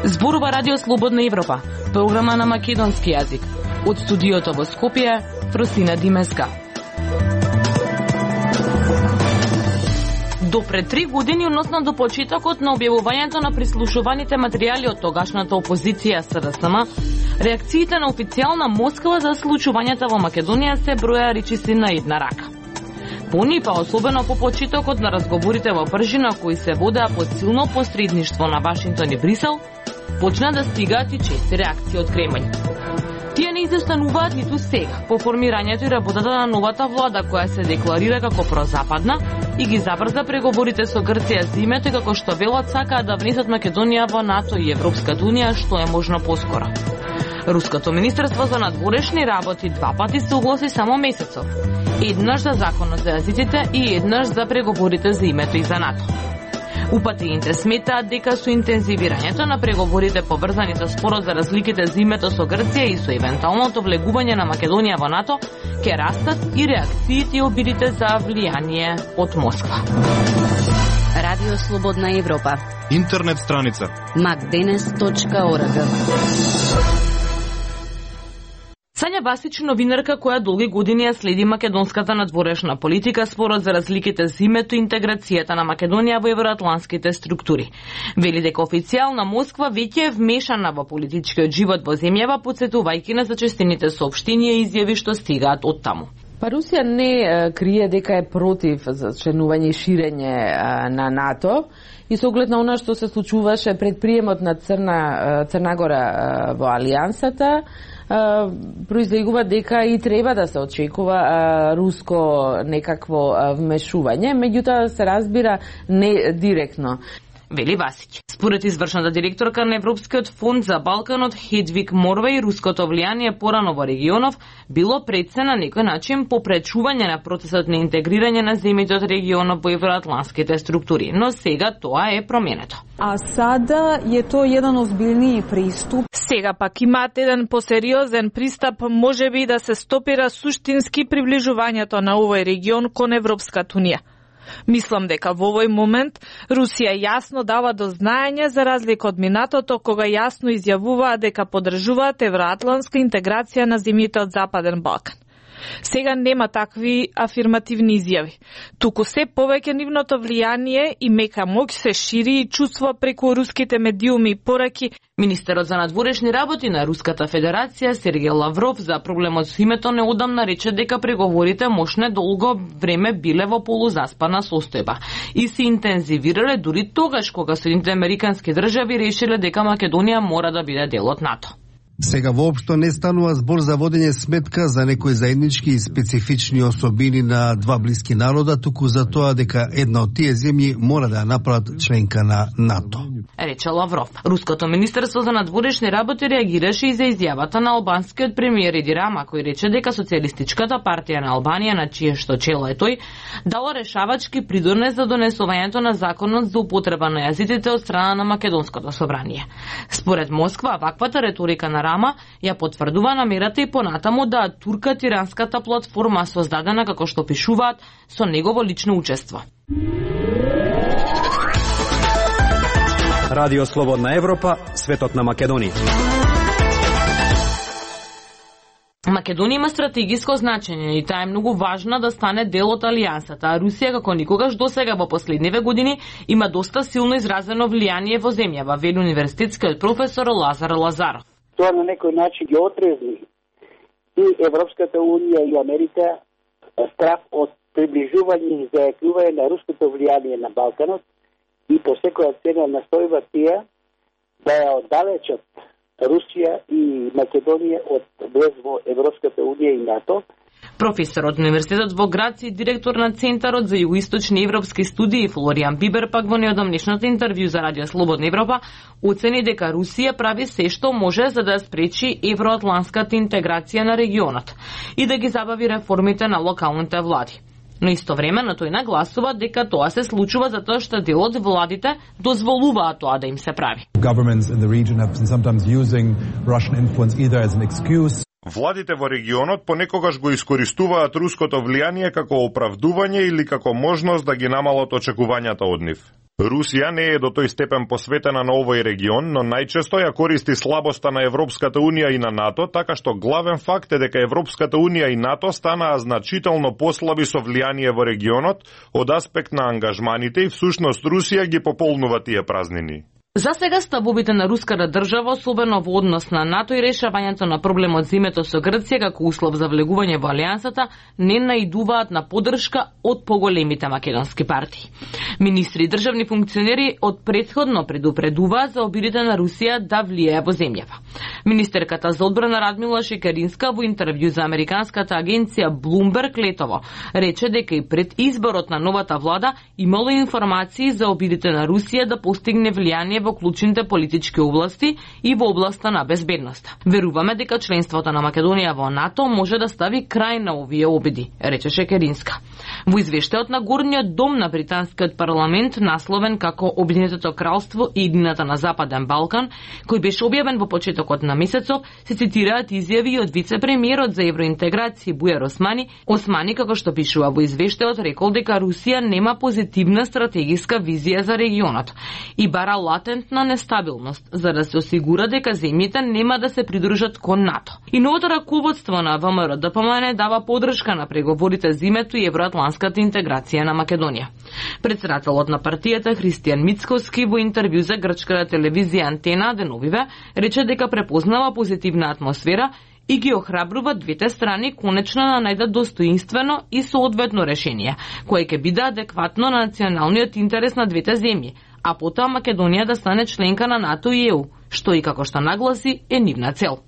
Зборува Радио Слободна Европа, програма на македонски јазик. Од студиото во Скопје, Фросина Димеска. До пред 3 години, односно до почетокот на објавувањето на прислушуваните материјали од тогашната опозиција СДСМ, реакциите на официјална Москва за случувањата во Македонија се броја речиси на една рака. Пони, па особено по почетокот на разговорите во пржина кои се водеа под силно посредништво на Вашингтон и Брисел, почна да стигаат и чести реакции од Кремљ. Тие не изостануваат ниту сега, по формирањето и работата на новата влада, која се декларира како прозападна и ги забрза преговорите со Грција за името, како што велат сакаат да внесат Македонија во НАТО и Европската унија што е можно поскоро. Руското министерство за надворешни работи 2 пати се огласи само месецов. Еднаш за законот за јазиците и еднаш за преговорите за името и за НАТО. Упатените сметаат дека со интензивирањето на преговорите поврзани со спорот за разликите за името со Грција и со евентуалното влегување на Македонија во НАТО, ќе растат и реакциите и обидите за влијание од Москва. Радио Слободна Европа. Интернет страница macdenes.org. Сања Басич, новинарка која долги години ја следи македонската надворешна политика, спорот за разликите за името и интеграцијата на Македонија во евроатланските структури. Вели дека официјална Москва веќе е вмешана во политичкиот живот во земјава, потсетувајќи на зачестените соопштенија и изјави што стигаат од таму. Па Русија не крие дека е против за членување и ширење на НАТО и со оглед на она што се случуваше пред приемот на Црна Гора во Алијансата, произлегува дека и треба да се очекува руско некакво вмешување, меѓутоа се разбира не директно. Вели Васиќ. Според извршната директорка на Европскиот фонд за Балканот Хедвиг Морвеј, руското влијание порано во регионов било пред на некој начин попречување на процесот на интегрирање на земјите од регионот во евроатланските структури, но сега тоа е променето. А сада е тоа еден озбилнiji приступ. Сега пак имаат еден посериозен пристап, можеби да се стопира суштински приближувањето на овој регион кон Европската унија. Мислам дека во овој момент Русија јасно дава до знаење за разлика од минатото кога јасно изјавуваа дека поддржуваат евроатлантска интеграција на земјите од Западен Балкан. Сега нема такви афирмативни изјави. Туку се повеќе нивното влијание и мека моќ се шири и чувства преку руските медиуми и пораки. Министерот за надворешни работи на Руската Федерација Сергеј Лавров за проблемот со името неодамна рече дека преговорите мошне долго време биле во полузаспана состојба и се интензивирале дури тогаш кога Соединетите американски држави решиле дека Македонија мора да биде дел од НАТО. Сега воопшто не станува збор за водење сметка за некои заеднички и специфични особини на два блиски народа, туку за тоа дека една од тие земји мора да ја направат членка на НАТО. Рече Лавров. Руското министерство за надворешни работи реагираше и за изјавата на албанскиот премиер Еди Рама, кој рече дека Социјалистичката партија на Албанија, на чие што чело е тој, дала решавачки придонес за донесувањето на законот за употреба на јазиците од страна на Македонското собрание. Според Москва, ваквата реторика на Рама ја потврдува намерата и понатаму да турка тиранската платформа создадена, како што пишуваат, со негово лично учество. Радио Слободна Европа, светот на Македонија. Македонија има стратегиско значење и таа е многу важна да стане дел од Алијансата, а Русија како никогаш досега во последниве години има доста силно изразено влијание во земјава, вели универзитетскиот професор Лазар Лазаров. Тоа на некој начин ги отрезни и Европската унија и Америка страх од приближување и зајакнување на руското влијание на Балканот и по секоја цена настојува тие да ја оддалечат Русија и Македонија од влез во Европската унија и НАТО. Професорот на универзитетот во Грац и директор на Центарот за југоисточни европски студии Флоријан Бибер пак во неодамнешното интервју за Радио Слободна Европа оцени дека Русија прави се што може за да спречи евроатлантската интеграција на регионот и да ги забави реформите на локалните влади. Но истовремено тој нагласува дека тоа се случува затоа што дел од владите дозволуваат тоа да им се прави. Владите во регионот понекогаш го искористуваат руското влијание како оправдување или како можност да ги намалат очекувањата од нив. Русија не е до тој степен посветена на овој регион, но најчесто ја користи слабоста на Европската Унија и на НАТО, така што главен факт е дека Европската Унија и НАТО станаа значително послаби со влијание во регионот од аспект на ангажманите и всушност Русија ги пополнува тие празнини. За сега ставовите на руската држава, особено во однос на НАТО и решавањето на проблемот за името со Грција како услов за влегување во алијансата, не наидуваат на поддршка од поголемите македонски партии. Министри и државни функционери од претходно предупредуваат за обидите на Русија да влијае во земјава. Министерката за одбрана Радмила Шекеринска во интервју за американската агенција Bloomberg летово рече дека и пред изборот на новата влада имало информации за обидите на Русија да постигне влијание во клучните политички области и во областа на безбедноста. Веруваме дека членството на Македонија во НАТО може да стави крај на овие обиди, рече Шекеринска. Во извештајот на Горниот дом на британскиот парламент, насловен како Обединетото кралство и иднината на Западен Балкан, кој беше објавен во почетокот на месецот, се цитираат изјави од вице-премиерот за евроинтеграција Бујар Османи. Османи, како што пишува во извештајот, рекол дека Русија нема позитивна стратегиска визија за регионот и бара латентна нестабилност за да се осигура дека земјите нема да се придружат кон НАТО. И новото раководство на ВМРО ДПМН дава поддршка на преговорите за името и евроатланската интеграција на Македонија. Председателот на партијата Христијан Мицкоски во интервју за грчката телевизија Антена деновиве рече дека препознава позитивна атмосфера и ги охрабрува двете страни конечно да најдат достоинствено и соодветно решение, кое ќе биде адекватно на националниот интерес на двете земји, а потоа Македонија да стане членка на НАТО и ЕУ, што и како што нагласи е нивна цел.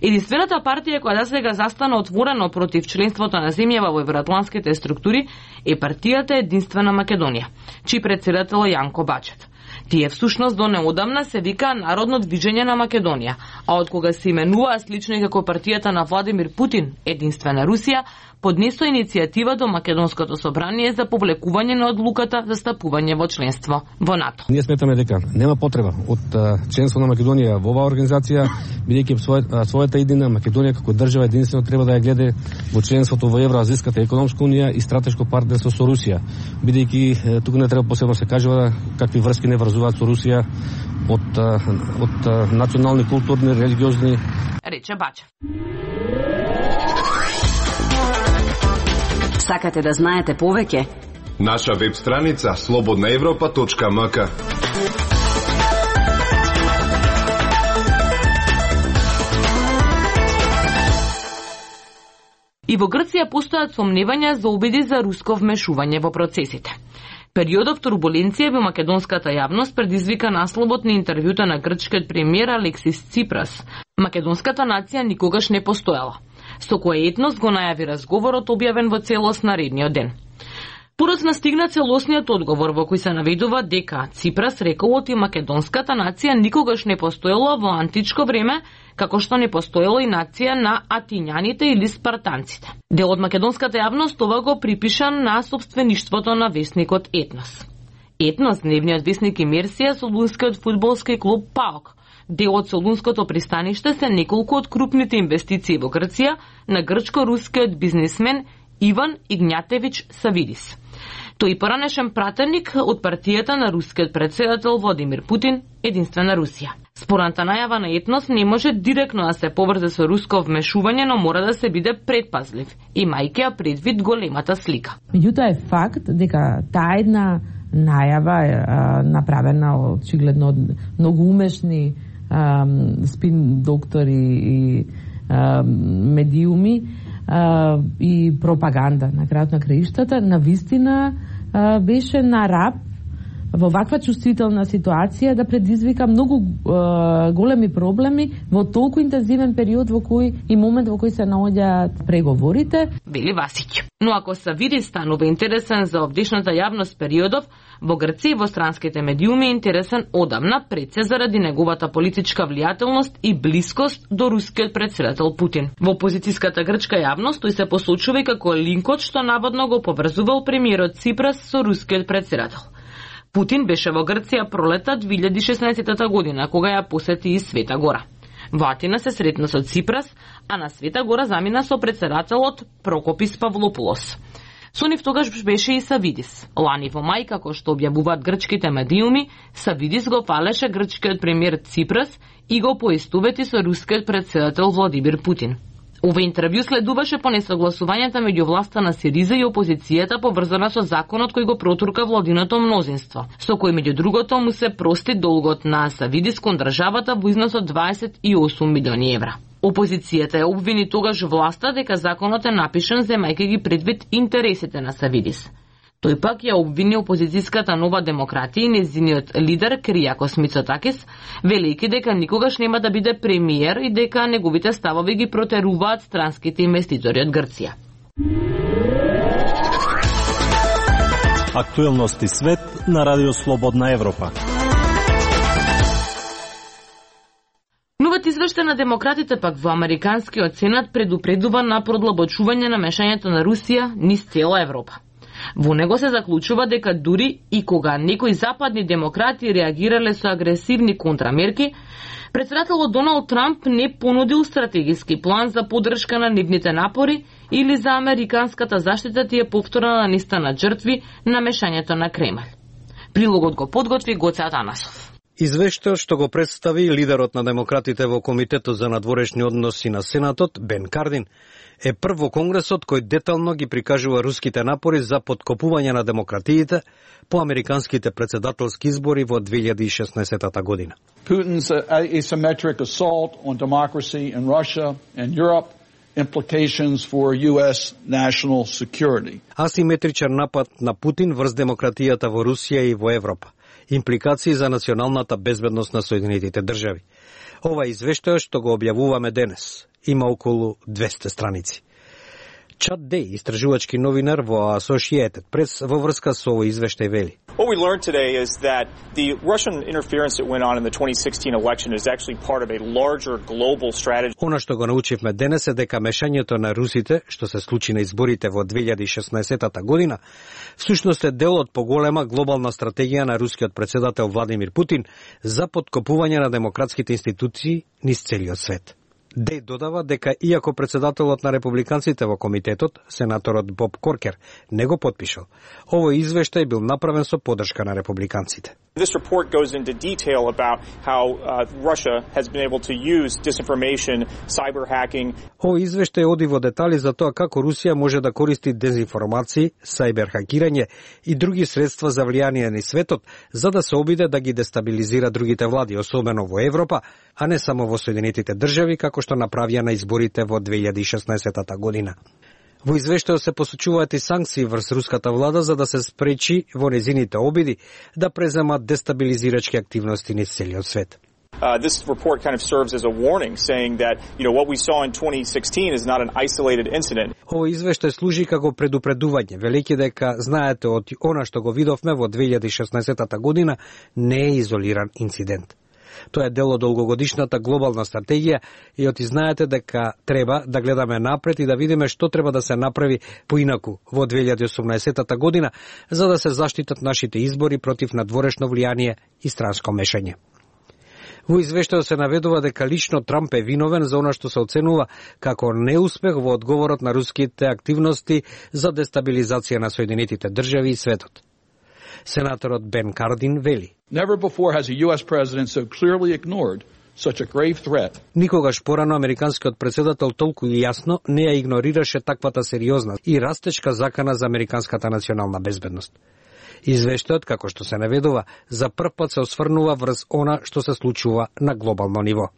Единствената партија која досега застана отворено против членството на земјава во евроатланските структури е партијата Единствена Македонија, чиј председател е Јанко Бачет. Тие всушност до неодамна се викаа Народно движење на Македонија, а од кога се именуваа слично и како партијата на Владимир Путин, Единствена Русија, поднесо иницијатива до Македонското собрание за повлекување на одлуката за стапување во членство во НАТО. Ние сметаме дека нема потреба од членство на Македонија во оваа организација, бидејќи својата иднина Македонија како држава единствено треба да ја гледа во членството во Евроазијската економска унија и стратешко партнерство со Русија, бидејќи тука не треба посебно се кажува какви врски не врзуваат со Русија од национални, културни, религиозни, рече Бачев. Сакате да знаете повеќе? Наша веб страница slobodnaevropa.mk. И во Грција постојат сомневања за обиди за руско вмешување во процесите. Периодов турбуленција во македонската јавност предизвика насловот на интервјута на грчкиот премиер Алексис Ципрас. Македонската нација никогаш не постоела, со кој етнос го најави разговорот објавен во целост наредниот ден. Подоцна стигна целосниот одговор во кој се наведува дека Ципрас рекол оти македонската нација никогаш не постоела во античко време, како што не постоела и нација на атињаните или спартанците. Дел од македонската јавност ова го припиша на собствеништвото на весникот Етнос. Етнос, дневниот весник Имерсија, солунскиот фудбалски клуб ПАОК. Дел од Солунското пристаниште се неколку од крупните инвестиции во Грција на грчко-рускиот бизнисмен Иван Игњатевич Савидис. Тој поранешен пратеник од партијата на рускиот председател Владимир Путин, Единствена Русија. Спорната најава на Етнос не може директно да се поврзе со руско вмешување, но мора да се биде предпазлив, имајќи ја предвид големата слика. Меѓутоа е факт дека таа една најава е направена очигледно од многу умешни спин доктори и медиуми и пропаганда на крајот на краиштата, навистина беше на раб во ваква чувствителна ситуација да предизвика многу големи проблеми во толку интензивен период во кој и момент во кој се наоѓаат преговорите. Вели Васиќ. Но ако се види станува интересен за овдешната јавност периодов, во Грција и во странските медиуми е интересен одамна, пред се заради неговата политичка влијателност и блискост до рускиот председател Путин. Во опозицијската грчка јавност тој се посочува како линкот што наводно го поврзувал премиерот Ципрас со рускиот председател. Путин беше во Грција пролета 2016 година, кога ја посети и Света Гора. Во Атина се сретна со Ципрас, а на Света Гора замина со претседателот Прокопис Павлопулос. Со нив тогаш беше и Савидис. Лани во мај, како што објавуваат грчките медиуми, Савидис го фалеше грчкиот премиер Ципрас и го поистовети со рускиот претседател Владимир Путин. Ова интервју следуваше по несогласувањата меѓу власта на СИРИЗА и опозицијата поврзана со законот кој го протурка владиното мнозинство, со кој меѓу другото му се прости долгот на Савидис кон државата во износ од 28 милиони евра. Опозицијата ја обвини тогаш власта дека законот е напишан земајќи ги предвид интересите на Савидис. Тој пак ја обвини опозицијската Нова демократија и нејзиниот лидер Кириакос Мицотакис, велејќи дека никогаш нема да биде премиер и дека неговите ставови ги протеруваат странските инвеститори од Грција. Актуелности свет на Радио Слободна Европа. Новиот извештај на демократите пак во Американскиот сенат предупредува на продлабочување на мешањето на Русија низ цела Европа. Во него се заклучува дека дури и кога некои западни демократи реагирале со агресивни контрамерки, претседателот Доналд Трамп не понудил стратегиски план за поддршка на нивните напори или за американската заштита тие повторна листа на жртви на мешањето на Кремљ. Прилогот го подготви Гоце Атанасов. Извештајот што го представи лидерот на демократите во Комитетот за надворешни односи на Сенатот, Бен Кардин, е прв во Конгресот кој детално ги прикажува руските напори за подкопување на демократиите по американските претседателски избори во 2016 година. Putin's asymmetric assault on democracy in Russia and Europe implications for US national security. Асиметричен напад на Путин врз демократијата во Русија и во Европа. Импликации за националната безбедност на Соединетите држави. Ова извештај што го објавуваме денес има околу 200 страници. Чад Дей, истражувачки новинар во Associated Press, во врска со овој извештај вели. What we learned today is that the Russian interference that went on in the 2016 election is actually part of a larger global strategy. Она што го научивме денес е дека мешањето на русите, што се случи на изборите во 2016 година, всушност е дел од поголема глобална стратегија на рускиот претседател Владимир Путин за подкопување на демократските институции низ целиот свет. Дей додава дека иако претседателот на републиканците во комитетот, сенаторот Боб Коркер, не го потпишал, овој извештај бил направен со поддршка на републиканците. This report goes into detail about how Russia has been able to use disinformation, cyber hacking. Овој извештај оди во детали за тоа како Русија може да користи дезинформации, сайбер хакирање и други средства за влијание на светот за да се обиде да ги дестабилизира другите влади, особено во Европа, а не само во Соединетите држави како што направија на изборите во 2016 година. Во извештајот се посочуваат и санкции врз руската влада за да се спречи во незините обиди да преземат дестабилизирачки активности низ целиот свет. This report kind of serves as a warning saying that, what we saw in 2016 is not an isolated incident. Овој извештај служи како предупредување, велејќи дека знаете од она што го видовме во 2016 година не е изолиран инцидент. Тоа е дел од долгогодишната глобална стратегија и оти знаете дека треба да гледаме напред и да видиме што треба да се направи поинаку во 2018 година за да се заштитат нашите избори против надворешно влијание и странско мешање. Во извештајот се наведува дека лично Трамп е виновен за она што се оценува како неуспех во одговорот на руските активности за дестабилизација на Соединетите држави и светот. Сенаторот Бен Кардин вели. Never before has a US president so clearly ignored such a grave threat. Никогаш порано американскиот претседател толку јасно не ја игнорираше таквата сериозна и растечка закана за американската национална безбедност. Извештајот, како што се наведува, за прв пат се осврнува врз она што се случува на глобално ниво.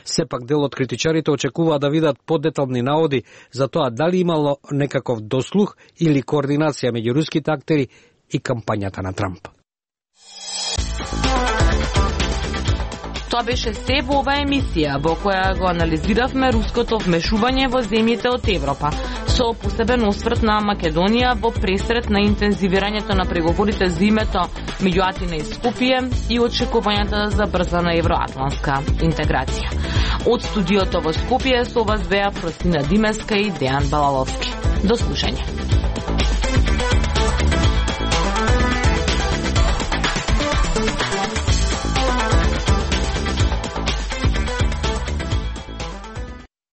Сепак дел од критичарите очекуваат да видат подетални наводи за тоа дали имало некаков дослух или координација меѓу руските актери и кампањата на Трамп. Тоа беше се во оваа емисија, во која го анализиравме руското вмешување во земјите од Европа, со посебен осврт на Македонија во пресрет на интензивирањето на преговорите за името меѓу Атина и Скопје и очекувањата за брзана евроатлантска интеграција. Од студиото во Скопје со вас беа Фросина Димеска и Дејан Балаловски. До слушање.